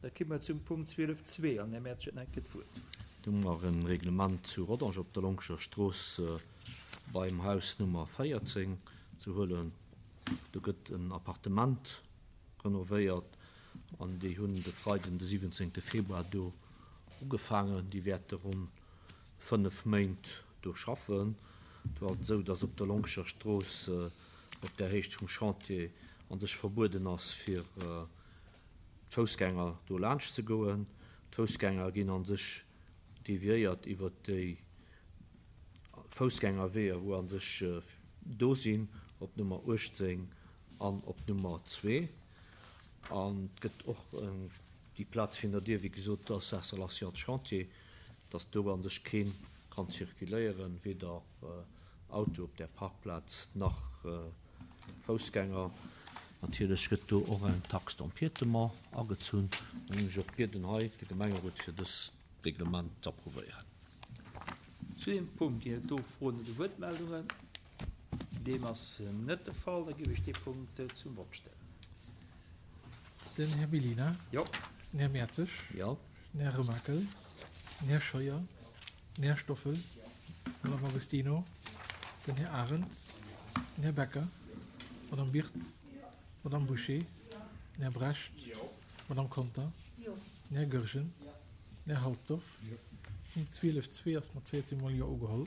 Da ki mer zum Punkt 12.2 an Här Mertsch huet nach eng Kéier d'Wuert. Do hu mer e Reglement zu Rodange op der Longscher Strooss beim Haus Nummer 14 ze huelen. Do gëtt en Appartement renovéiert an déi hunn de Freiden de 17 Februar do ugefaangen. Déi wäerte ronn 5 Méint do schaffen. Do ass et esou, datt op der Longscher Strooss op der Héicht vum Chantier an sech verbueden ass fir d'Foussgänger do laanscht ze goen. D'Foussgänger ginn an sech deviéiert iwwert déi Foussgängerweeër wou an sech do sinn, op Nummer 18 an op Nummer 2. An et gëtt och déi Plaz virun der Dier, wéi gesot, do ass Installation de chantier, dass do an sech kee kann zirkuléieren, weder Auto op där Parkplaz nach Foussgänger. Natierlech gëtt do och eng Taxe d'empiétement agezunn. Dann géing ech och bieden hei de Gemengerot fir dëst Reglement z'approuvéieren. Zu deem Punkt ginn et do Froen oder Wuertmeldungen? Deem ass net de Fall. Da géif ech dee Punkt zum Vott stellen. Den Här Mellina. Jo. Den Här Mertzig. Jo. Den Här Remakel. Den Här Scheuer. Den Här Stoffel. D'Madame Agostino. Den Här Arendt. Den Här Becker. D'Madame Birtz. D'Madame Bouché. Den Här Brecht. D'Madame Conter. Den Här Goergen. Den Här Halsdorf. Punkt 12, 2 ass mat 14 mol Jo ugeholl.